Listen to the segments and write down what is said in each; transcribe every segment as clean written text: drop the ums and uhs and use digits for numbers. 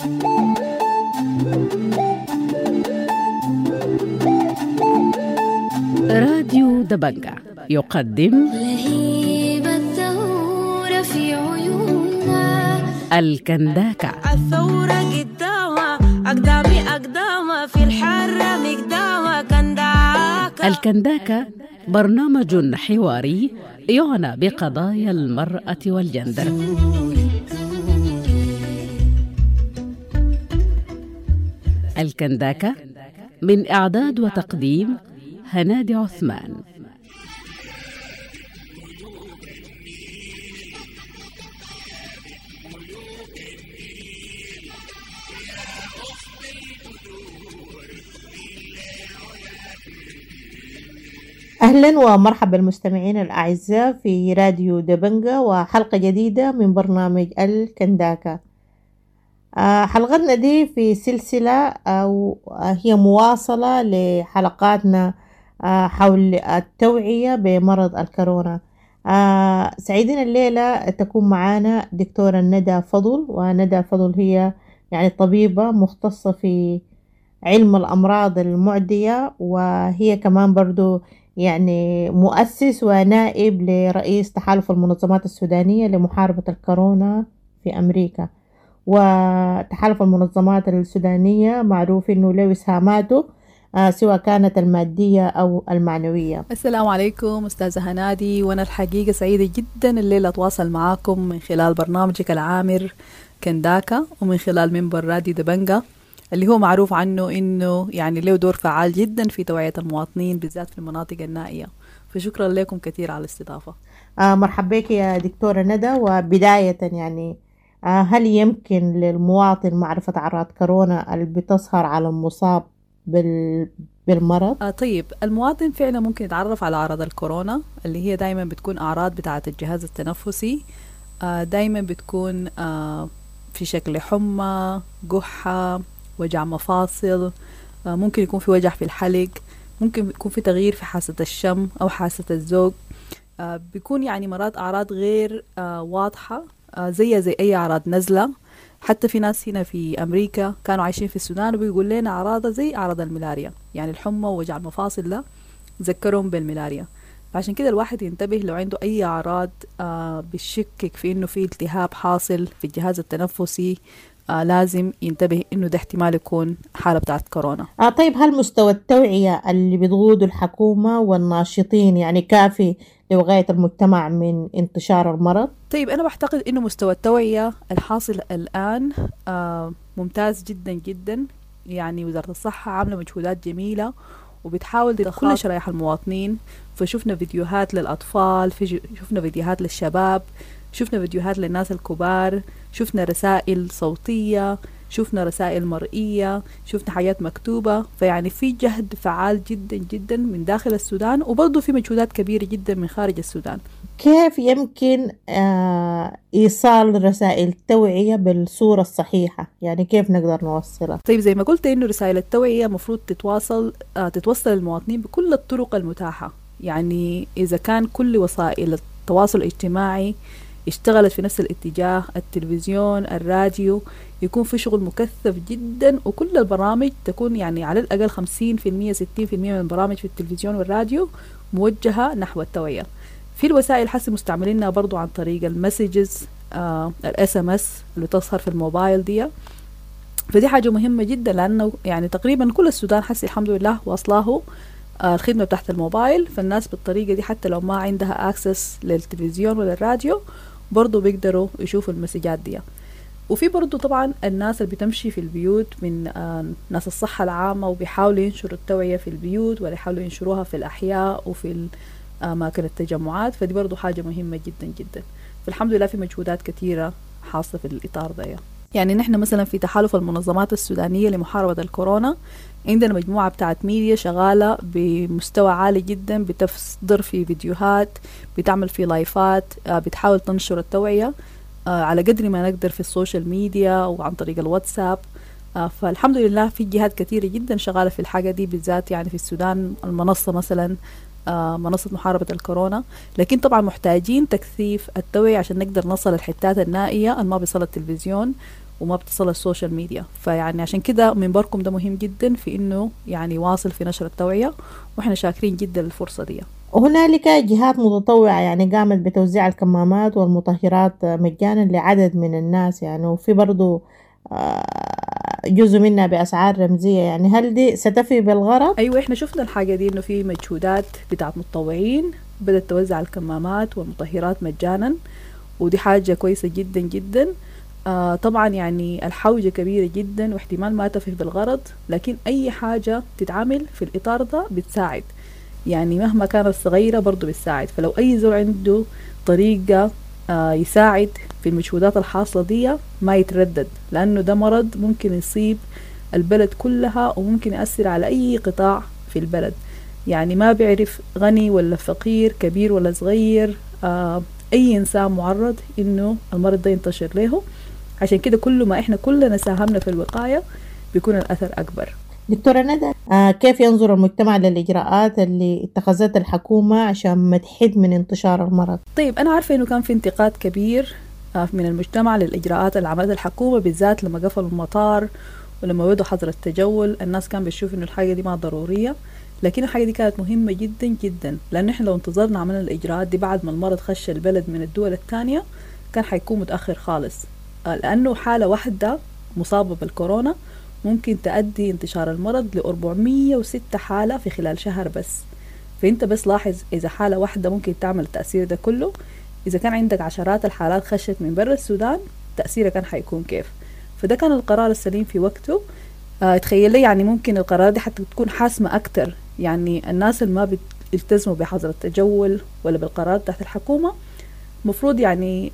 راديو دبنجة يقدم لهيب الثورة في عيوننا. الكنداكة. الثورة قدامها أقدامي أقدامها في الحرة مقدامها كنداكة. الكنداكة برنامج حواري يعنى بقضايا المرأة والجندر. الكنداكة من إعداد وتقديم هنادي عثمان. أهلا ومرحبا المستمعين الأعزاء في راديو دبنجة وحلقة جديدة من برنامج الكنداكة. حلقتنا دي في سلسلة أو هي مواصلة لحلقاتنا حول التوعية بمرض الكورونا. سعيدين الليلة تكون معانا دكتورة ندى فضل، وندى فضل هي يعني طبيبة مختصة في علم الأمراض المعدية، وهي كمان برضو يعني مؤسس ونائب لرئيس تحالف المنظمات السودانية لمحاربة الكورونا في أمريكا. وتحالف المنظمات السودانية معروف إنه له إسهاماته سواء كانت المادية أو المعنوية. السلام عليكم أستاذة هنادي، وأنا الحقيقة سعيدة جدا الليلة أتواصل معاكم من خلال برنامجك العامر كنداكا ومن خلال منبر راديو دبنجة اللي هو معروف عنه إنه يعني له دور فعال جدا في توعية المواطنين بالذات في المناطق النائية، فشكرا لكم كثير على الاستضافة. مرحبا بك يا دكتورة ندى. وبداية يعني هل يمكن للمواطن معرفة أعراض كورونا اللي بتظهر على المصاب بالمرض؟ طيب، المواطن فعلا ممكن يتعرف على أعراض الكورونا اللي هي دايما بتكون أعراض بتاعة الجهاز التنفسي، دايما بتكون في شكل حمى، قحة، وجع مفاصل، ممكن يكون في وجع في الحلق، ممكن يكون في تغيير في حاسة الشم أو حاسة الذوق، بيكون يعني مرات أعراض غير واضحة، زي أي أعراض نزلة. حتى في ناس هنا في أمريكا كانوا عايشين في السودان وبيقول لنا أعراضها زي أعراض الملاريا، يعني الحمى ووجع المفاصل ده ذكرهم بالملاريا. فعشان كده الواحد ينتبه لو عنده أي أعراض بتشكك في إنه في التهاب حاصل في الجهاز التنفسي، لازم ينتبه إنه ده احتمال يكون حالة بتاعت كورونا. طيب، هل مستوى التوعية اللي بتقوده الحكومة والناشطين يعني كافي لوقاية المجتمع من انتشار المرض؟ طيب، أنا بعتقد إنه مستوى التوعية الحاصل الآن ممتاز جدا جدا. يعني وزارة الصحة عاملة مجهودات جميلة وبتحاول تدخل كل شرائح المواطنين، فشفنا فيديوهات للأطفال، شفنا فيديوهات للشباب، شفنا فيديوهات للناس الكبار، شفنا رسائل صوتية، شفنا رسائل مرئية، شفنا حاجات مكتوبة. فيعني في جهد فعال جدا جدا من داخل السودان، وبرضه في مجهودات كبيرة جدا من خارج السودان. كيف يمكن إيصال رسائل التوعية بالصورة الصحيحة؟ يعني كيف نقدر نوصلها؟ طيب، زي ما قلت إنه رسائل التوعية مفروض تتوصل للمواطنين بكل الطرق المتاحة. يعني إذا كان كل وسائل التواصل الاجتماعي اشتغلت في نفس الاتجاه، التلفزيون، الراديو، يكون في شغل مكثف جدا، وكل البرامج تكون يعني على الأقل 50% 60% من البرامج في التلفزيون والراديو موجهة نحو التوعية. في الوسائل حسب مستعملينها برضو عن طريق ال messages، ال SMS اللي تظهر في الموبايل دي، فدي حاجة مهمة جدا، لأنه يعني تقريبا كل السودان حسي الحمد لله واصلاه الخدمة بتاعت الموبايل. فالناس بالطريقة دي حتى لو ما عندها access للتلفزيون ولا الراديو برضو بيقدروا يشوفوا المسجات دي. وفي برضو طبعا الناس اللي بتمشي في البيوت من ناس الصحة العامة وبيحاولوا ينشروا التوعية في البيوت ولا يحاولوا ينشروها في الأحياء وفي أماكن التجمعات، فدي برضو حاجة مهمة جدا جدا. فالحمد لله في مجهودات كثيرة حاصلة في الإطار ده. يعني نحن مثلا في تحالف المنظمات السودانية لمحاربة الكورونا عندنا مجموعة بتاعت ميديا شغالة بمستوى عالي جدا، بتصدر في فيديوهات، بتعمل في لايفات، بتحاول تنشر التوعية على قدر ما نقدر في ال social media وعن طريق الواتساب. فالحمد لله في جهات كثيرة جدا شغالة في الحاجة دي، بالذات يعني في السودان المنصة مثلا، منصة محاربة الكورونا. لكن طبعا محتاجين تكثيف التوعية عشان نقدر نصل الحتات النائية اللي ما بيصل التلفزيون وما بتصل ال social media. فيعني عشان كده منبركم ده مهم جدا في إنه يعني واصل في نشر التوعية، وإحنا شاكرين جدا للفرصة دي. وهنالك جهات متطوعة يعني قامت بتوزيع الكمامات والمطهرات مجانا لعدد من الناس يعني، وفي برضو جزء منها بأسعار رمزية، يعني هل دي ستفي بالغرض؟ أيوة، إحنا شفنا الحاجة دي، إنه في مجهودات بتاعت متطوعين بدأت توزع الكمامات والمطهرات مجانا، ودي حاجة كويسة جدا جدا. طبعا يعني الحوجة كبيرة جدا واحتمال ما تفي بالغرض، لكن أي حاجة تتعامل في الإطار ده بتساعد، يعني مهما كانت صغيرة برضو بتساعد. فلو أي زول عنده طريقة يساعد في المجهودات الحاصلة دي ما يتردد، لأنه ده مرض ممكن يصيب البلد كلها وممكن يأثر على أي قطاع في البلد، يعني ما بيعرف غني ولا فقير، كبير ولا صغير، أي إنسان معرض إنه المرض ده ينتشر له. عشان كده كل ما إحنا كلنا ساهمنا في الوقاية بيكون الأثر أكبر. دكتورة ندى، كيف ينظر المجتمع للإجراءات اللي اتخذتها الحكومة عشان ما تحد من انتشار المرض؟ طيب، أنا عارفة إنه كان في انتقاد كبير من المجتمع للإجراءات اللي عملتها الحكومة، بالذات لما قفلوا المطار ولما بدوا حظر التجول. الناس كان بتشوف إنه الحاجة دي ما ضرورية، لكن الحاجة دي كانت مهمة جدا جدا، لأن إحنا لو انتظرنا عملنا الإجراءات دي بعد ما المرض خش البلد من الدول الثانية كان حيكون متأخر خالص، لأنه حالة واحدة مصابة بالكورونا ممكن تؤدي انتشار المرض ل 406 حالة في خلال شهر بس. فأنت بس لاحظ إذا حالة واحدة ممكن تعمل التأثير ده كله، إذا كان عندك عشرات الحالات خشت من برا السودان تأثيرها كان حيكون كيف. فده كان القرار السليم في وقته. تخيل لي يعني ممكن القرار دي حتى تكون حاسمة أكتر، يعني الناس اللي ما بيلتزموا بحظر التجول ولا بالقرارات تحت الحكومة مفروض يعني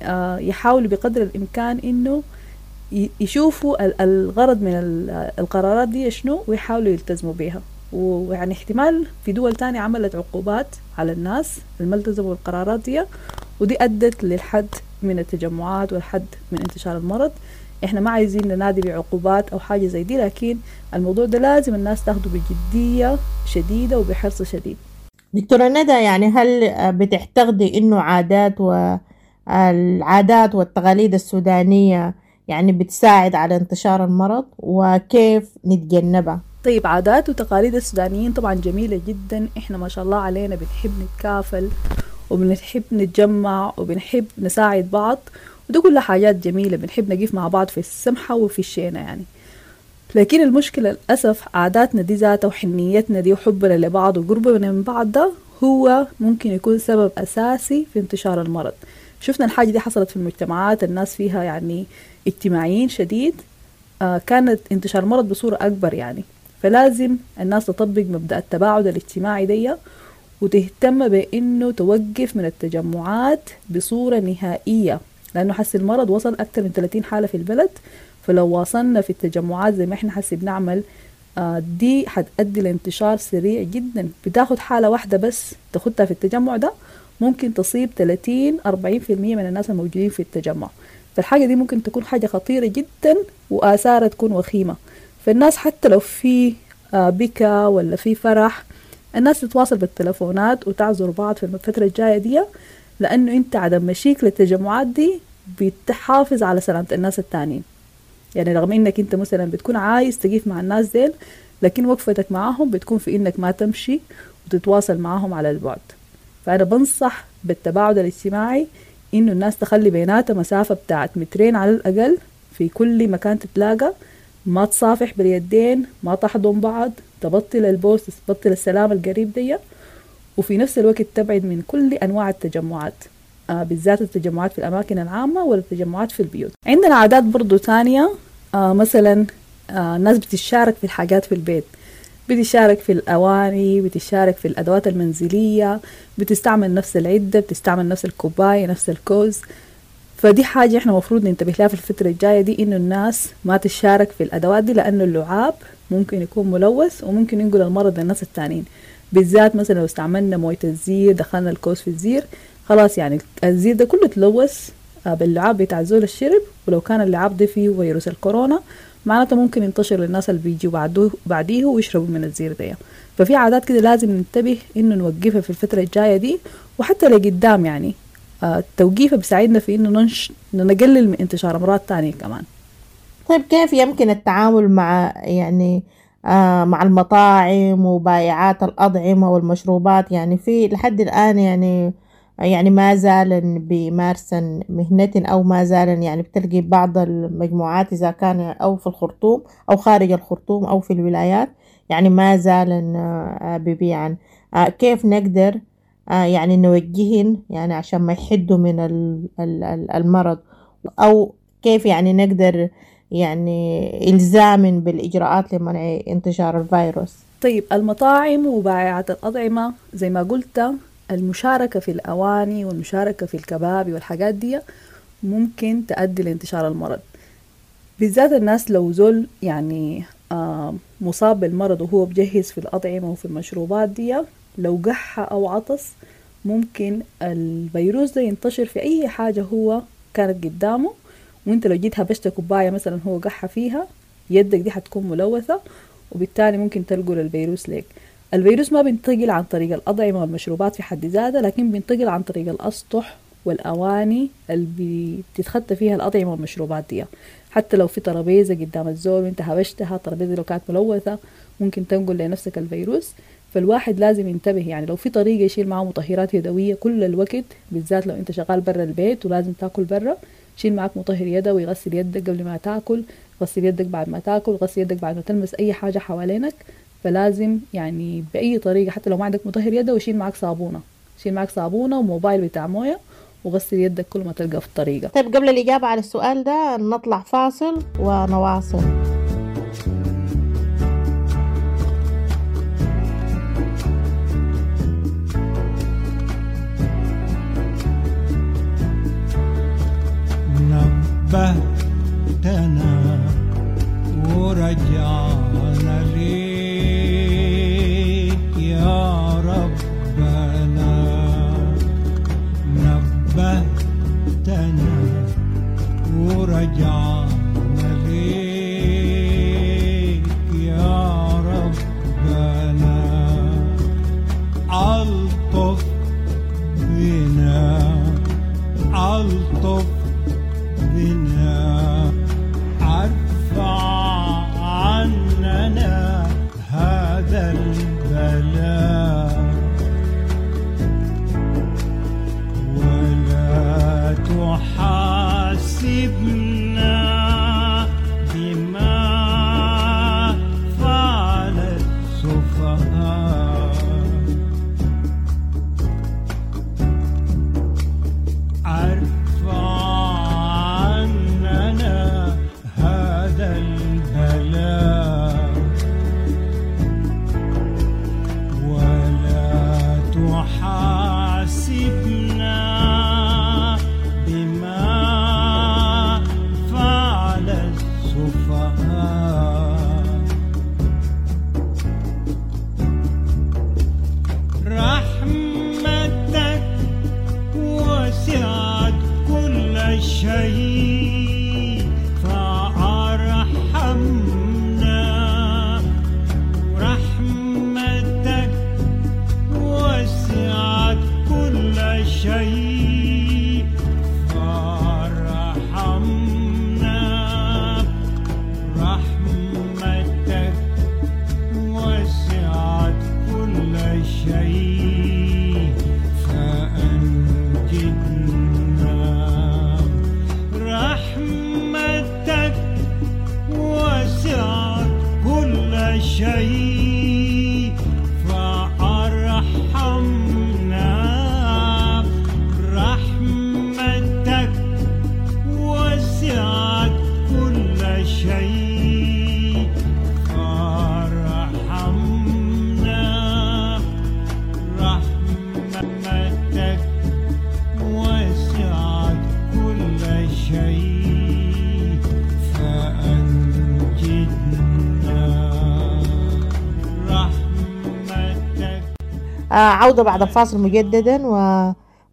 يحاولوا بقدر الإمكان إنه يشوفوا الغرض من القرارات دي شنو ويحاولوا يلتزموا بيها. ويعني احتمال في دول تانية عملت عقوبات على الناس اللي ما التزموا بالقرارات دي، ودي أدت للحد من التجمعات والحد من انتشار المرض. احنا ما عايزين ننادي بعقوبات أو حاجة زي دي، لكن الموضوع ده لازم الناس تاخده بجدية شديدة وبحرص شديد. دكتورة ندى، يعني هل بتعتقدي إنه عادات والعادات والتقاليد السودانية يعني بتساعد على انتشار المرض، وكيف نتجنبها؟ طيب، عادات وتقاليد السودانيين طبعا جميلة جدا، احنا ما شاء الله علينا بنحب نتكافل وبنحب نتجمع وبنحب نساعد بعض، وده كلها حاجات جميلة، بنحب نقف مع بعض في السمحة وفي الشينة يعني. لكن المشكلة للأسف عاداتنا دي ذاتها وحنيتنا دي وحبنا لبعض وقربنا من بعض ده هو ممكن يكون سبب أساسي في انتشار المرض. شفنا الحاجة دي حصلت في المجتمعات الناس فيها يعني اجتماعيين شديد، كانت انتشار المرض بصورة أكبر يعني. فلازم الناس تطبق مبدأ التباعد الاجتماعي دي، وتهتم بأنه توقف من التجمعات بصورة نهائية، لأنه حس المرض وصل أكثر من 30 حالة في البلد. فلو واصلنا في التجمعات زي ما احنا حسي بنعمل دي حتؤدي لانتشار سريع جدا. بتاخد حالة واحدة بس تاخدها في التجمع ده ممكن تصيب 30-40% من الناس الموجودين في التجمع. فالحاجة دي ممكن تكون حاجة خطيرة جدا وآثارها تكون وخيمة. فالناس حتى لو في بكا ولا في فرح الناس تتواصل بالتلفونات وتعذر بعض في الفترة الجاية دي، لأنه أنت عدم مشيك للتجمعات دي بتحافظ على سلامة الناس التانيين. يعني رغم إنك أنت مثلا بتكون عايز تقيف مع الناس ديل، لكن وقفتك معاهم بتكون في إنك ما تمشي وتتواصل معاهم على البعد. فأنا بنصح بالتباعد الاجتماعي، إنه الناس تخلي بيناتها مسافة بتاعت 2 متر على الأقل في كل مكان تتلاقى، ما تصافح باليدين، ما تحضن بعض، تبطل البوس، تبطل السلام القريب دي، وفي نفس الوقت تبعد من كل أنواع التجمعات، بالذات التجمعات في الأماكن العامة والتجمعات في البيوت. عندنا عادات برضو تانية، مثلا الناس بتشارك في الحاجات في البيت، بتشارك في الأواني، بتشارك في الأدوات المنزلية، بتستعمل نفس العدة، بتستعمل نفس الكوباية، نفس الكوز. فدي حاجة احنا مفروض ننتبه لها في الفترة الجاية دي، إنه الناس ما تشارك في الأدوات دي، لأنه اللعاب ممكن يكون ملوث وممكن ينقل المرض للناس التانيين. بالذات مثلا لو استعملنا موية الزير، دخلنا الكوز في الزير، خلاص يعني الزير ده كله تلوث باللعاب بتاع زول الشرب، ولو كان اللعاب ده فيه فيروس الكورونا معناته ممكن ينتشر للناس اللي بيجوا بعديه ويشربوا من الزير ده. ففي عادات كده لازم ننتبه إنه نوقفها في الفترة الجاية دي وحتى لقدام، يعني التوقيفة بيساعدنا في إنه نقلل من انتشار أمراض تانية كمان. طيب كيف يمكن التعامل مع يعني مع المطاعم وبائعات الأطعمة والمشروبات؟ يعني في لحد الآن يعني ما زالن بيمارسن مهنتن أو ما زالن يعني بتلقي بعض المجموعات إذا كان أو في الخرطوم أو خارج الخرطوم أو في الولايات يعني ما زالن ببيعن. كيف نقدر يعني نوجهن يعني عشان ما يحدوا من المرض، أو كيف يعني نقدر يعني إلزام بالإجراءات لمنع انتشار الفيروس؟ طيب المطاعم وبائعات الأطعمة زي ما قلت، المشاركة في الأواني والمشاركة في الكبابي والحاجات دي ممكن تؤدي لانتشار المرض، بالذات الناس لو زول يعني مصاب بالمرض وهو بجهز في الأطعمة وفي المشروبات دي، لو قحة أو عطس ممكن الفيروس ده ينتشر في أي حاجة هو كانت قدامه، وانت لو جيت هبشت كوباية مثلا هو قحة فيها، يدك دي حتكون ملوثة، وبالتالي ممكن تنقل الفيروس لك. الفيروس ما بينتقل عن طريق الأطعمة والمشروبات في حد ذاتها، لكن بينتقل عن طريق الأسطح والأواني اللي بتتخطى فيها الأطعمة والمشروبات دي. حتى لو في ترابيزة قدام الزول وانت هبشتها، الترابيزة لو كانت ملوثة ممكن تنقل لنفسك الفيروس. فالواحد لازم ينتبه، يعني لو في طريقة يشيل معه مطهرات يدوية كل الوقت، بالذات لو انت شغال برا البيت ولازم تاكل برا، شيل معك مطهر يدوي، غسل يدك قبل ما تاكل، غسل يدك بعد ما تاكل، غسل يدك بعد ما تلمس أي حاجة حوالينك. فلازم يعني بأي طريقة، حتى لو ما عندك مطهر يدوي شيل معك صابونة، شيل معك صابونة وموبايل بتاع موية، وغسل يدك كل ما تلقى في الطريقة. طيب قبل الإجابة على السؤال ده نطلع فاصل ونواصل. نبهتنا ورجعنا ليك يا ربنا، نبهتنا ورجعنا ليك يا ربنا، ألطف بنا، ألطف بنا، ارفع عننا هذا البلاء، ولا تحاسبنا بما فعل السفهاء، ارفع عننا هذا البلاء، ولا تحاسبنا بما فعل السفهاء، رحمتك وسعت كل شيء فأرحمنا، رحمتك وسعت كل شيء فأرحمنا، رحمتك وسعت كل شيء فأنجدنا، رحمتك وسعت كل شيء فأرحمنا، رحمتك وسعت كل شيء فأرحمنا، رحمتك وسعت كل شيء فأنجدنا، رحمتك. عودة بعد الفاصل مجددا،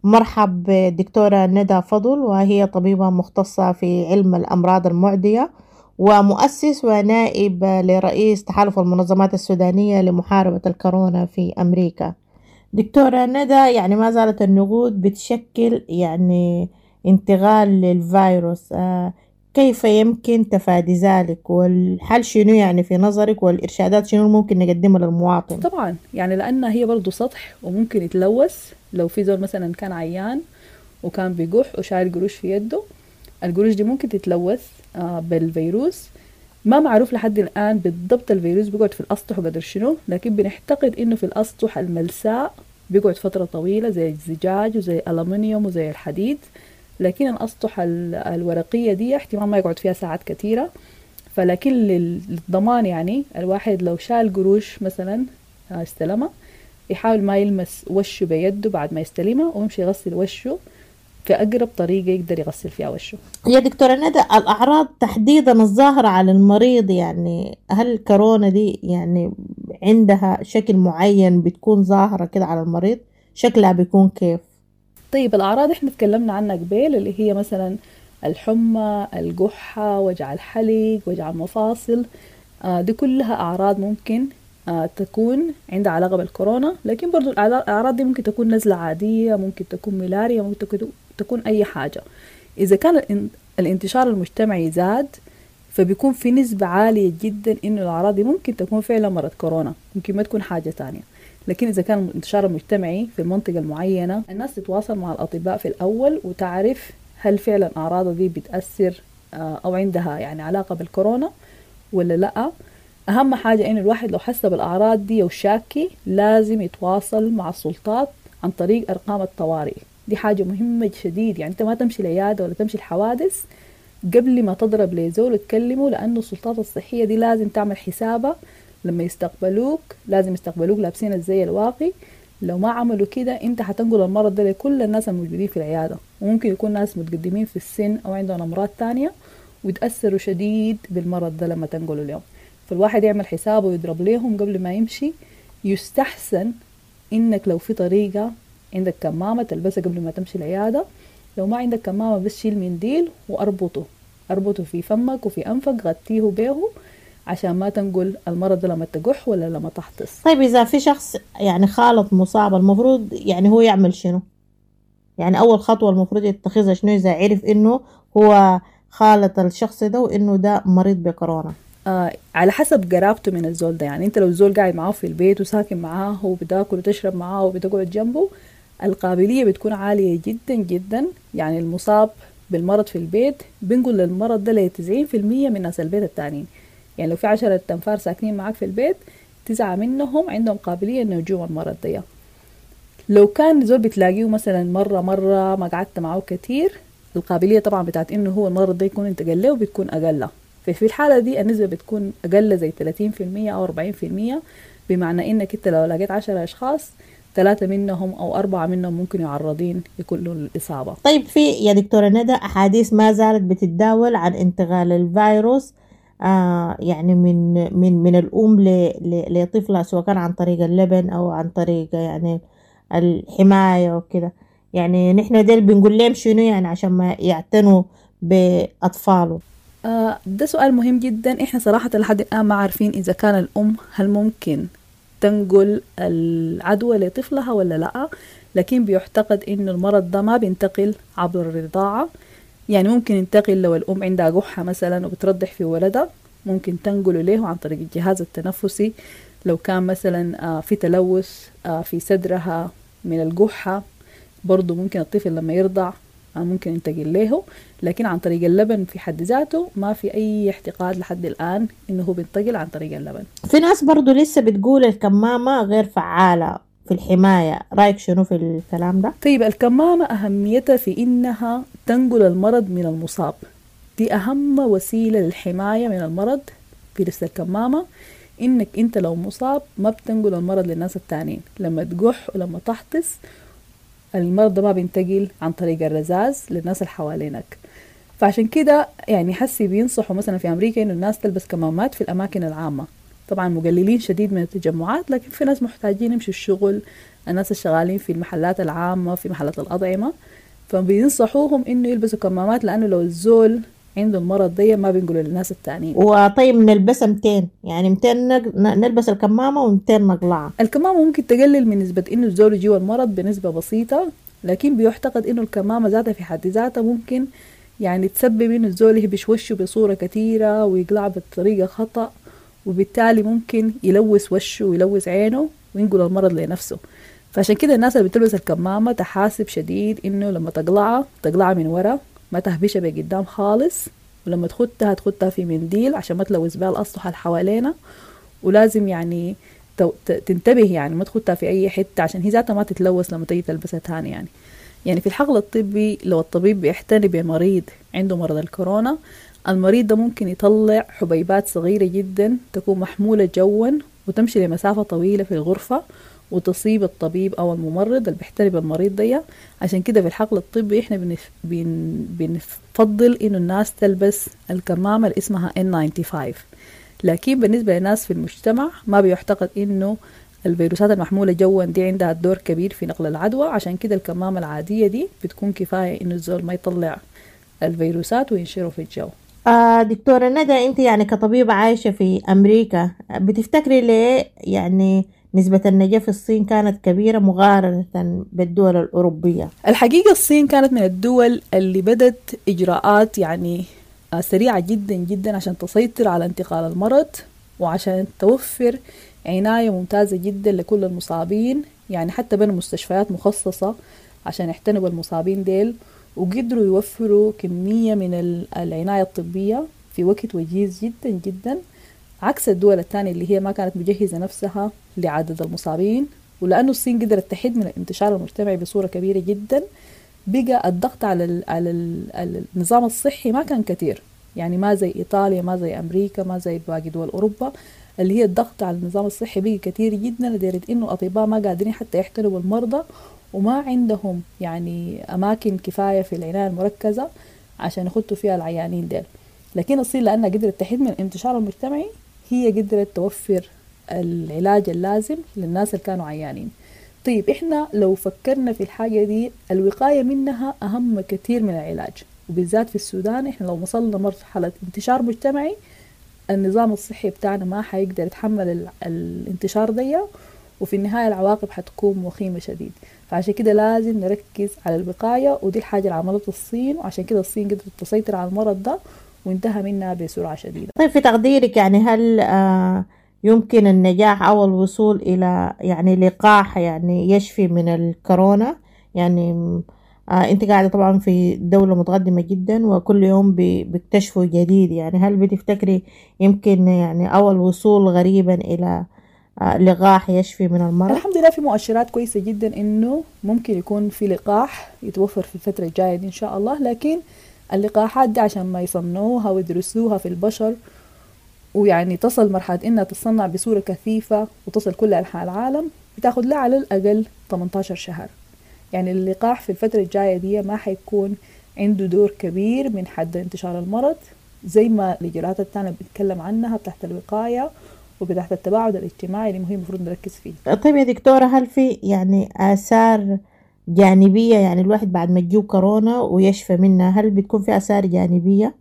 ومرحب بالدكتورة ندى فضل، وهي طبيبة مختصة في علم الأمراض المعدية ومؤسس ونائب لرئيس تحالف المنظمات السودانية لمحاربة الكورونا في أمريكا. دكتورة ندى، يعني ما زالت النقود بتشكل يعني انتقال للفيروس، كيف يمكن تفادي ذلك؟ والحل شنو يعني في نظرك؟ والإرشادات شنو ممكن نقدمها للمواطن؟ طبعا يعني لأنها هي برضو سطح وممكن يتلوث. لو في زول مثلا كان عيان وكان بيقح وشايل قروش في يده، القروش دي ممكن تتلوث بالفيروس. ما معروف لحد الآن بالضبط الفيروس بيقعد في الأسطح وقدر شنو، لكن بنعتقد إنه في الأسطح الملساء بيقعد فترة طويلة زي الزجاج وزي الألمنيوم وزي الحديد، لكن الأسطح الورقية دي احتمال ما يقعد فيها ساعات كثيرة. فلكن للضمان يعني الواحد لو شال قروش مثلا استلمها، يحاول ما يلمس وشه بيده بعد ما يستلمها، ويمشي يغسل وشه في أقرب طريقة يقدر يغسل فيها وشه. يا دكتورة ندى، الأعراض تحديدا الظاهرة على المريض، يعني هل الكورونا دي يعني عندها شكل معين بتكون ظاهرة كده على المريض؟ شكلها بيكون كيف؟ طيب الأعراض احنا تكلمنا عنها قبل، اللي هي مثلا الحمى، القحة، وجع الحلق، وجع المفاصل، دي كلها أعراض ممكن تكون عندها علاقة بالكورونا. لكن برضو الأعراض دي ممكن تكون نزلة عادية، ممكن تكون ملاريا، ممكن تكون أي حاجة. إذا كان الانتشار المجتمعي زاد، فبيكون في نسبة عالية جدا إنه الأعراض دي ممكن تكون فعلا مرض كورونا، ممكن ما تكون حاجة تانية. لكن إذا كان الانتشار المجتمعي في المنطقة المعينة، الناس تتواصل مع الأطباء في الأول وتعرف هل فعلا أعراضها دي بتأثر أو عندها يعني علاقة بالكورونا ولا لأ. أهم حاجة إنه الواحد لو حس بالأعراض دي وشاكي لازم يتواصل مع السلطات عن طريق أرقام الطوارئ. دي حاجة مهمة شديد، يعني أنت ما تمشي العيادة ولا تمشي الحوادث قبل ما تضرب لزول وتكلمه، لأنه السلطات الصحية دي لازم تعمل حسابها لما يستقبلوك، لازم يستقبلوك لابسين الزي الواقي. لو ما عملوا كده انت هتنقل المرض ده لكل الناس الموجودين في العيادة، وممكن يكون ناس متقدمين في السن أو عندهم أمراض تانية ويتأثروا شديد بالمرض ده لما تنقلوا اليوم. فالواحد يعمل حسابه ويضرب ليهم قبل ما يمشي. يستحسن انك لو في طريقة عندك كمامة تلبسها قبل ما تمشي العيادة، لو ما عندك كمامة بس شيل منديل واربطه، اربطه في فمك وفي أنفك، غطيه به عشان ما تنقل المرض ده لما تقح ولا لما تحطس. طيب إذا في شخص يعني خالط مصاب، المفروض يعني هو يعمل شنو؟ يعني أول خطوة المفروض يتخذها شنو إذا عرف إنه هو خالط الشخص ده وإنه ده مريض بكورونا؟ على حسب قرابته من الزول ده. يعني أنت لو الزول قاعد معاه في البيت وساكن معاه وبتاكل وتشرب معاه وبتقعد جنبه، القابلية بتكون عالية جدا جدا. يعني المصاب بالمرض في البيت بنقول للمرض ده ل 90% من ناس البيت التانيين. يعني لو في 10 أنفار ساكنين معاك في البيت، 9 منهم عندهم قابلية إنه يجوا المرض ده. لو كان زول بتلاقيه مثلا مرة ما قعدت معه كتير، القابلية طبعا بتاعت إنه هو المرض ده يكون انتقل له بتكون أقل. ففي الحالة دي النسبة بتكون أقل زي 30% أو 40%، بمعنى إنك أنت لو لقيت 10 أشخاص، 3 منهم أو 4 منهم ممكن يعرضين يكونوا للإصابة. طيب في يا دكتورة ندى أحاديث ما زالت بتتداول عن انتقال الفيروس يعني من من من الأم لطفلها، سواء كان عن طريق اللبن أو عن طريق يعني الحماية وكده. يعني نحن ديل بنقول لهم شنو يعني عشان ما يعتنوا بأطفاله؟ ده سؤال مهم جدا. احنا صراحة لحد الآن ما عارفين إذا كان الأم هل ممكن تنقل العدوى لطفلها ولا لا، لكن بيعتقد إنه المرض ده ما بينتقل عبر الرضاعة. يعني ممكن ينتقل لو الأم عندها قحة مثلا وبترضح في ولدها، ممكن تنقله له عن طريق الجهاز التنفسي. لو كان مثلا في تلوث في صدرها من القحة، برضو ممكن الطفل لما يرضع ممكن ينتقل له. لكن عن طريق اللبن في حد ذاته ما في أي اعتقاد لحد الآن إنه هو بينتقل عن طريق اللبن. في ناس برضو لسه بتقول الكمامة غير فعالة في الحماية، رأيك شنو في الكلام ده؟ طيب الكمامة أهميتها في إنها تنقل المرض من المصاب، دي أهم وسيلة للحماية من المرض في لبس الكمامة، إنك أنت لو مصاب ما بتنقل المرض للناس التانيين. لما تقح ولما تحطس المرض ده ما بينتقل عن طريق الرذاذ للناس اللي حوالينك. فعشان كده يعني حسي بينصحوا مثلا في أمريكا إنه الناس تلبس كمامات في الأماكن العامة. طبعا مقللين شديد من التجمعات، لكن في ناس محتاجين يمشوا الشغل، الناس الشغالين في المحلات العامة، في محلات الأطعمة، فبينصحوهم إنه يلبسوا كمامات، لأنه لو الزول عنده المرض ده ما بينقلوا للناس التانيين. وطيب نلبسها 200، يعني 200 نلبس الكمامة و200 نقلعها. الكمامة ممكن تقلل من نسبة إنه الزول يجيه المرض بنسبة بسيطة، لكن بيعتقد إنه الكمامة ذاتها في حد ذاتها ممكن يعني تسبب إنه الزول يهبش وشه بصورة كثيرة ويقلع بطريقة خطأ، وبالتالي ممكن يلوث وشه ويلوث عينه وينقل المرض لنفسه. فعشان كده الناس اللي بتلبس الكمامة تحاسب شديد إنه لما تقلعها تقلعها من ورا، ما تهبشها بقدام خالص، ولما تخدها تخدها في منديل عشان ما تلوث بها الأسطح اللي حوالينا، ولازم يعني تنتبه يعني ما تخدها في أي حتة عشان هي ذاتها ما تتلوث لما تيجي تلبسها تاني. يعني في الحقل الطبي لو الطبيب بيعتني بمريض عنده مرض الكورونا، المريض ده ممكن يطلع حبيبات صغيرة جدا تكون محمولة جوا وتمشي لمسافة طويلة في الغرفة وتصيب الطبيب أو الممرض اللي بيحتري بالمريض ده. عشان كده في الحقل الطبي إحنا بنفضل إنه الناس تلبس الكمامة اللي اسمها N95. لكن بالنسبة للناس في المجتمع ما بيعتقد إنه الفيروسات المحمولة جوا دي عندها دور كبير في نقل العدوى، عشان كده الكمامة العادية دي بتكون كفاية إنه الزول ما يطلع الفيروسات وينشره في الجو. دكتورة ندى، أنت يعني كطبيبة عايشة في أمريكا، بتفتكري ليه يعني نسبة النجاة في الصين كانت كبيرة مقارنة بالدول الأوروبية؟ الحقيقة الصين كانت من الدول اللي بدت إجراءات يعني سريعة جدا جدا عشان تسيطر على انتقال المرض وعشان توفر عناية ممتازة جدا لكل المصابين. يعني حتى بنوا مستشفيات مخصصة عشان يعتنوا بالمصابين ديل، وقدروا يوفروا كمية من العناية الطبية في وقت وجيز جدا جدا، عكس الدول الثانية اللي هي ما كانت مجهزة نفسها لعدد المصابين. ولأنه الصين قدرت تحد من الانتشار المجتمعي بصورة كبيرة جدا، بقى الضغط على النظام الصحي ما كان كثير، يعني ما زي إيطاليا، ما زي أمريكا، ما زي باقي دول أوروبا اللي هي الضغط على النظام الصحي بقى كثير جدا، لدرجة إنه الأطباء ما قادرين حتى يحتلوا بالمرضى، وما عندهم يعني أماكن كفاية في العناية المركزة عشان يخطوا فيها العيانين ديل. لكن الصين لأنها قدرت تحد من الانتشار المجتمعي، هي قدرت توفر العلاج اللازم للناس اللي كانوا عيانين. طيب إحنا لو فكرنا في الحاجة دي، الوقاية منها أهم كثير من العلاج، وبالذات في السودان إحنا لو وصلنا مرحلة انتشار مجتمعي، النظام الصحي بتاعنا ما حيقدر يتحمل الانتشار دي، وفي النهاية العواقب حتكون وخيمة شديد. فعشان كده لازم نركز على الوقاية، ودي الحاجة اللي عملتها الصين، وعشان كده الصين قدرت تسيطر على المرض ده وانتهى منها بسرعة شديدة. طيب في تقديرك يعني هل يمكن النجاح أو الوصول إلى يعني لقاح يعني يشفي من الكورونا؟ يعني أنت قاعدة طبعا في دولة متقدمة جدا وكل يوم بيكتشفوا جديد، يعني هل بتفتكري يمكن يعني أو الوصول غريبا إلى لقاح يشفي من المرض؟ الحمد لله في مؤشرات كويسة جدا إنه ممكن يكون في لقاح يتوفر في الفترة الجاية دي إن شاء الله. لكن اللقاحات دي عشان ما يصنعوها ويدرسوها في البشر ويعني تصل مرحلة إنها تصنع بصورة كثيفة وتصل كل أنحاء العالم، بتاخد لها على الأقل 18 شهر. يعني اللقاح في الفترة الجاية دي ما حيكون عنده دور كبير من حد انتشار المرض زي ما الإجراءات الثانية بنتكلم عنها بتاعت الوقاية وبتاعت التباعد الاجتماعي اللي مهم المفروض نركز فيه. طيب يا دكتورة، هل في يعني آثار جانبية، يعني الواحد بعد ما تجيه كورونا ويشفى منها، هل بتكون في آثار جانبية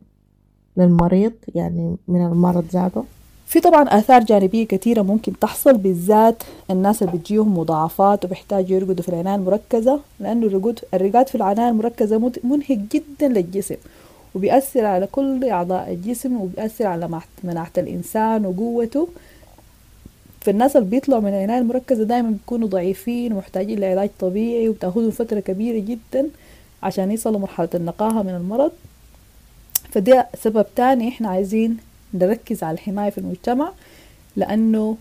للمريض يعني من المرض ذاته؟ في طبعا آثار جانبية كثيرة ممكن تحصل، بالذات الناس اللي بتجيهم مضاعفات وبيحتاجوا يرقدوا في العناية المركزة، لأنه الرقاد في العناية المركزة منهك جدا للجسم، وبيأثر على كل أعضاء الجسم، وبيأثر على مناعة الإنسان وقوته. فالناس اللي بيطلعوا من العناية المركزة دايما بيكونوا ضعيفين ومحتاجين لعلاج طبيعي، وبتاخدهم فترة كبيرة جدا عشان يصلوا مرحلة النقاهة من المرض. فده سبب تاني احنا عايزين نركز على الحماية في المجتمع، لأنه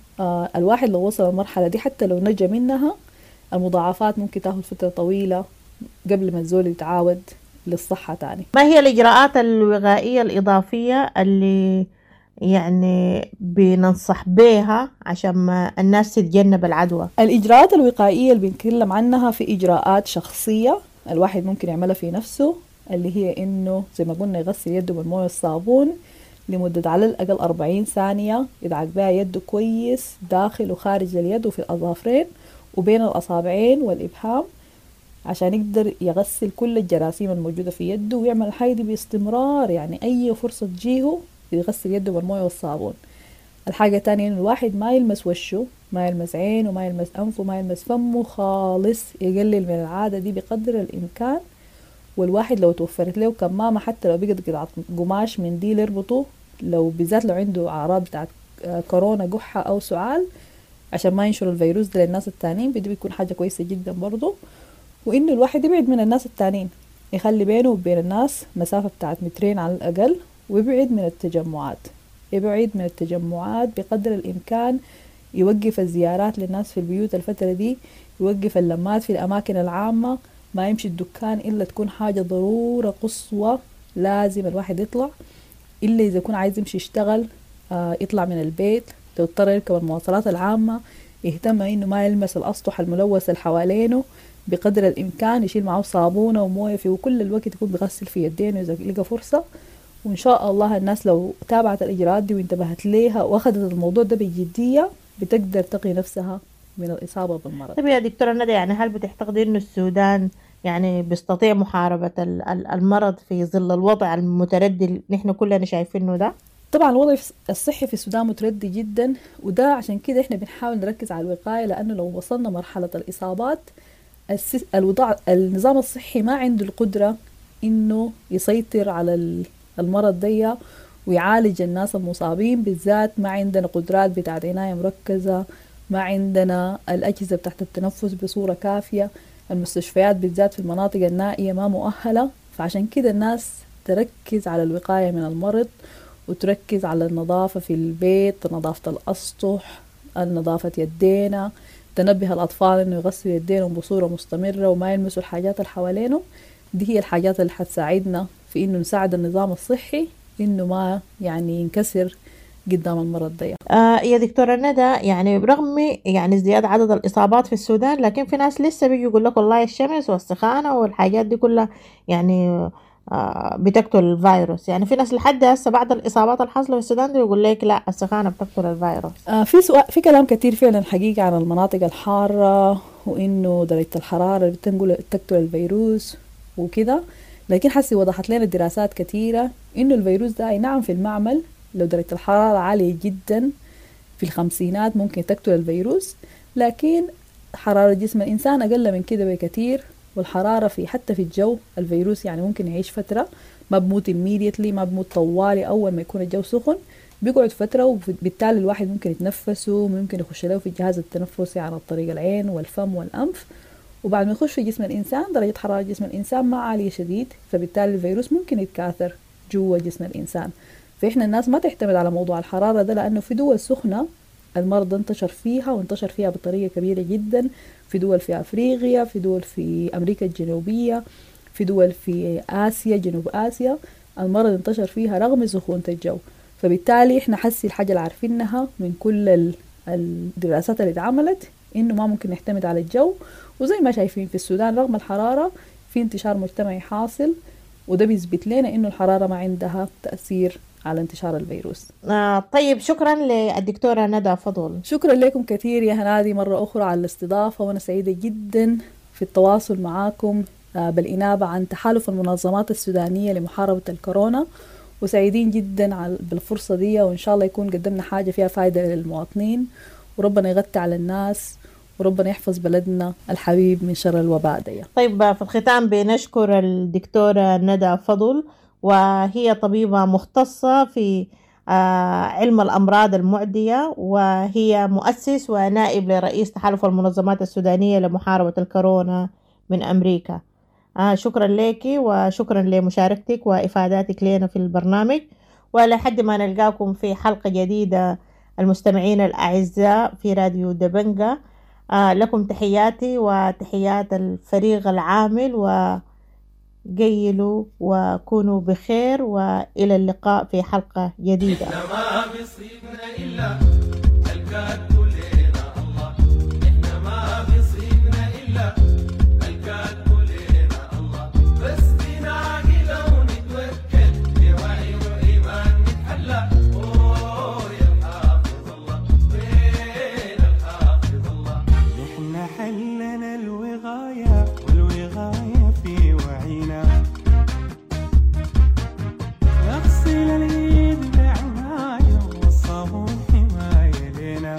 الواحد لو وصل المرحلة دي حتى لو نجا منها، المضاعفات ممكن تاخد فترة طويلة قبل ما الزول يتعاود للصحة تاني. ما هي الإجراءات الوقائية الإضافية اللي يعني بننصح بيها عشان ما الناس تتجنب العدوى؟ الإجراءات الوقائية اللي بنتكلم عنها في إجراءات شخصية الواحد ممكن يعملها في نفسه، اللي هي إنه زي ما قلنا يغسل يده بالموية والصابون لمدة على الأقل 40 ثانية، يدعك بها يده كويس داخل وخارج اليد وفي الأظافرين وبين الأصابعين والإبهام، عشان يقدر يغسل كل الجراثيم الموجودة في يده، ويعمل الحاجة دي باستمرار، يعني أي فرصة تجيهه يغسل يده بالموية والصابون. الحاجة الثانية إنه الواحد ما يلمس وشه، ما يلمس عينه، ما يلمس أنفه، ما يلمس فمه خالص، يقلل من العادة دي بقدر الإمكان. والواحد لو توفرت له كمامة حتى لو بقت قطعة قماش منديل يربطه، لو بالذات لو عنده أعراض بتاعت كورونا قحة أو سعال، عشان ما ينشر الفيروس ده للناس التانيين، بدي بيكون حاجة كويسة جدا برضو. وإنه الواحد يبعد من الناس التانيين، يخلي بينه وبين الناس مسافة بتاعت 2 متر على الأقل، ويبعد من التجمعات، يبعد من التجمعات بقدر الإمكان، يوقف الزيارات للناس في البيوت الفترة دي، يوقف اللمات في الأماكن العامة، ما يمشي الدكان إلا تكون حاجة ضرورة قصوى لازم الواحد يطلع، إلا إذا يكون عايز يمشي يشتغل يطلع من البيت، لو اضطر يركب المواصلات العامة يهتم إنه ما يلمس الأسطح الملوثة اللي حوالينه بقدر الإمكان، يشيل معه صابونة وموية فيه، وكل الوقت يكون بيغسل في يدينه إذا لقى فرصة. وإن شاء الله الناس لو تابعت الإجراءات دي وانتبهت ليها وأخذت الموضوع ده بجدية بتقدر تقي نفسها من الإصابة بالمرض. طيب يا دكتورة ندى، يعني هل بتعتقدي إنه السودان يعني بيستطيع محاربة المرض في ظل الوضع المتردي اللي نحن كلنا شايفينه ده؟ طبعا الوضع الصحي في السودان متردي جدا، وده عشان كده احنا بنحاول نركز على الوقاية، لأنه لو وصلنا مرحلة الإصابات الوضع النظام الصحي ما عنده القدرة إنه يسيطر على المرض دي ويعالج الناس المصابين، بالذات ما عندنا قدرات بتاعت عناية مركزة، ما عندنا الأجهزة بتاعت التنفس بصورة كافية، المستشفيات بالذات في المناطق النائية ما مؤهلة. فعشان كده الناس تركز على الوقاية من المرض، وتركز على النظافة في البيت، نظافة الأسطح، نظافة يدينا، تنبه الأطفال إنه يغسلوا يدينهم بصورة مستمرة وما يلمسوا الحاجات اللي حوالينهم. دي هي الحاجات اللي حتساعدنا في إنه نساعد النظام الصحي إنه ما يعني ينكسر قدام المرض ده. يا دكتورة ندى، يعني برغم يعني ازدياد عدد الإصابات في السودان، لكن في ناس لسه بيجي يقول لك والله الشمس والسخانة والحاجات دي كلها يعني بتقتل الفيروس. يعني في ناس لحد هسه بعد الإصابات الحاصلة في السودان دي يقول لك لا السخانة بتقتل الفيروس. في سؤال، في كلام كتير فعلا حقيقة عن المناطق الحارة وإنه درجة الحرارة بتنقل تقتل الفيروس وكده، لكن حسي وضحت لنا دراسات كثيرة إنه الفيروس ده أي نعم في المعمل لو درجة الحرارة عالية جدا في الخمسينات ممكن تقتل الفيروس، لكن حرارة جسم الإنسان أقل من كده بكثير، والحرارة في حتى في الجو الفيروس يعني ممكن يعيش فترة، ما بموت immediately، ما بموت طوالي أول ما يكون الجو سخن، بيقعد فترة، وبالتالي الواحد ممكن يتنفسه، ممكن يخش له في الجهاز التنفسي عن طريق العين والفم والأنف، وبعد ما يخش في جسم الإنسان درجة حرارة جسم الإنسان ما عالية شديد، فبالتالي الفيروس ممكن يتكاثر جوا جسم الإنسان. فإحنا الناس ما تعتمد على موضوع الحرارة ده، لأنه في دول سخنة المرض انتشر فيها وانتشر فيها بطريقة كبيرة جدا، في دول في أفريقيا، في دول في أمريكا الجنوبية، في دول في آسيا، جنوب آسيا، المرض انتشر فيها رغم سخونة الجو. فبالتالي إحنا حسي الحاجة اللي عارفينها من كل الدراسات اللي اتعملت إنه ما ممكن نعتمد على الجو، وزي ما شايفين في السودان رغم الحرارة في انتشار مجتمعي حاصل، وده بيثبت لنا إنه الحرارة ما عندها تأثير على انتشار الفيروس. طيب، شكرا للدكتورة ندى فضل. شكرا لكم كثير يا هنادي مرة أخرى على الاستضافة، وأنا سعيدة جدا في التواصل معاكم بالإنابة عن تحالف المنظمات السودانية لمحاربة الكورونا، وسعيدين جدا بالفرصة دي، وإن شاء الله يكون قدمنا حاجة فيها فايدة للمواطنين، وربنا يغطي على الناس، وربنا يحفظ بلدنا الحبيب من شر الوباء دي. طيب، في الختام بنشكر الدكتورة ندى فضل، وهي طبيبة مختصة في علم الأمراض المعدية، وهي مؤسس ونائب لرئيس تحالف المنظمات السودانية لمحاربة الكورونا من أمريكا. شكرا لك وشكرا لمشاركتك وإفاداتك لنا في البرنامج، ولحد ما نلقاكم في حلقة جديدة المستمعين الأعزاء في راديو دبنجة، لكم تحياتي وتحيات الفريق العامل، وقيلوا وكونوا بخير، وإلى اللقاء في حلقة جديدة. ما بيصيبنا إلا الكاتب لنا الله، إحنا ما بيصيبنا إلا الكاتب لنا الله، بس بنعقل ونتوكل بوعي وإيمان نتحلى. أوه يا الحافظ الله، وين الحافظ الله؟ نحن حلنا الوغاية، والوغاية في وعينا، نغسل الإيد بعناية والصابون حماية لنا.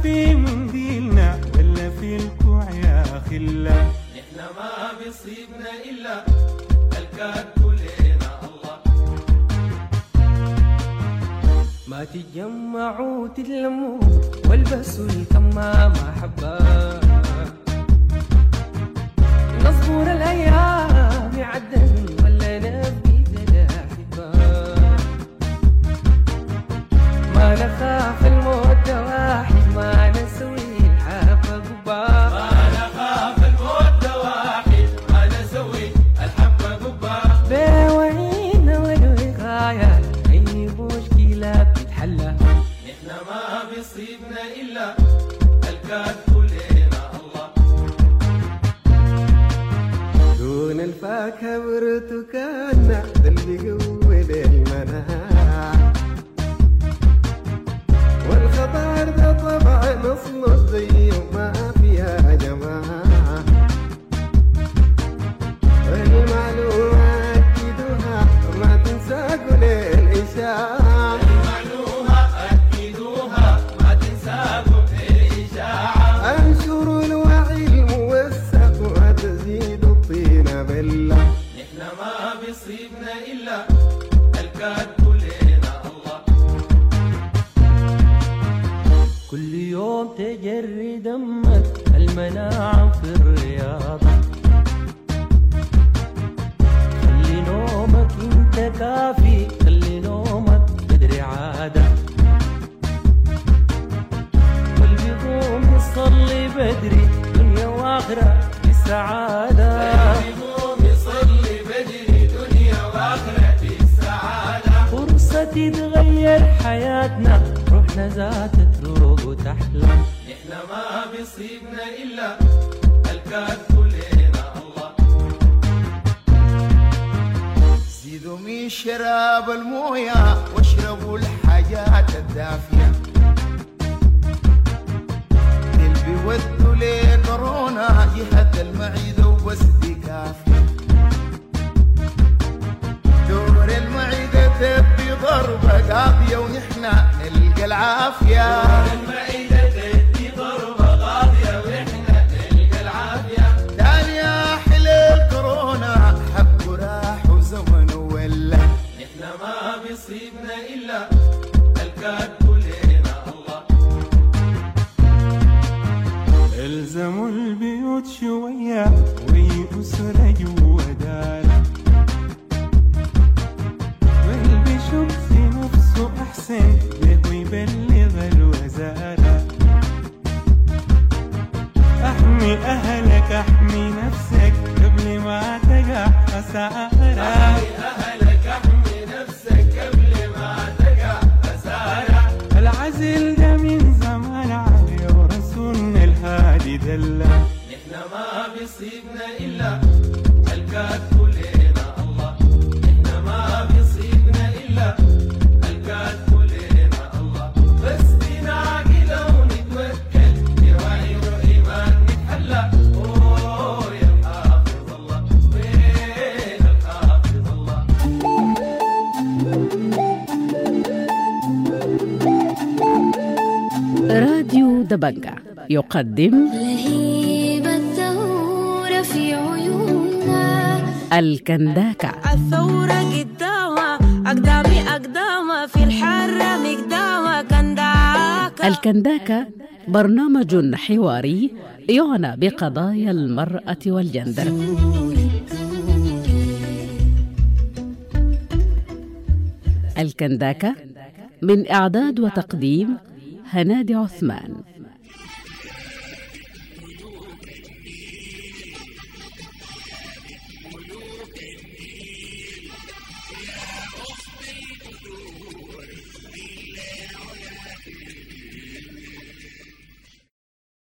في منديلنا ولا في الكوع يا خلة. نحن ما بيصيبنا إلا الكاتب لنا الله. ما تتجمعوا تتلموا والبسوا الكمامة حبة، نصبر الأيام يعدن ولا نبي الأحبة، ما نخاف الموت واحد ما نسوي الحبة قبة، ما نخاف الموت واحد ما نسوي الحبة قبة، بوعينا والوقاية أي مشكلة بتتحلى. نحن ما بيصيبنا إلا الكاتب لنا الله. دون الفاكهة برتكانة ده اللي بيقوي المناعة، والخضار ده طبعا أصله زي ما فيها جماعة، المعلومة أكدوها ما تنسى كل الإشاعة، المعلومة أكدوها ما تنسى كل الإشاعة، أنشروا الوعي الموثق وتزيد الطين بلة. نحن ما بيصيبنا إلا الكاتب لنا الله. كل يوم تجري دمك المناعة في الرياضة، خلي نومك انت كافي، خلي نومك بدري عادة، واللي بيقوم يصلي بدري دنيا واخرة بالسعادة، اللي بيقوم يصلي بدري دنيا واخرة بالسعادة، فرصة تتغير حياتنا روحنا ذات تروق وتحلى. نحن ما بيصيبنا إلا الكاتب لنا الله. زيدوا من شراب الموية واشربوا الحاجات الدافية، اللي بيودوا لكورونا جهة المعدة وبس دي كافية، دور المعدة تبي ضربة قاضية ونحنا نلقى العافية، دور المعدة تدي ضربة قاضية ونحنا نلقى العافية، تاني حل الكورونا حب راح وزمن ولا. نحن ما بيصيبنا إلا الكاتب لنا الله. الزموا البيوت شوية وأسرة جوا دار، واللي بيشك في نفسه أحسن له يبلغ الوزارة. أحمي أهلك أحمي نفسك قبل ما تقع خسارة، أحمي أهلك أحمي نفسك قبل ما تقع خسارة، العزل ده من زمان عليه ورسولنا الهادي دلة. نحن ما بيصيبنا إلا الكاتب لنا الله، نحن ما بيصيبنا إلا الكاتب لنا الله، بس بنعقل ونتوكل بوعي وإيمان نتحلى. أوه يا الحافظ الله، وين الحافظ الله. راديو دبنجة يقدم لهيب الثورة في عيوننا، الكنداكة. الثورة قدامة أقدامي أقدامة في الحرة مقدامة كنداكة. الكنداكة برنامج حواري يعنى بقضايا المرأة والجندر. الكنداكة من إعداد وتقديم هنادي عثمان.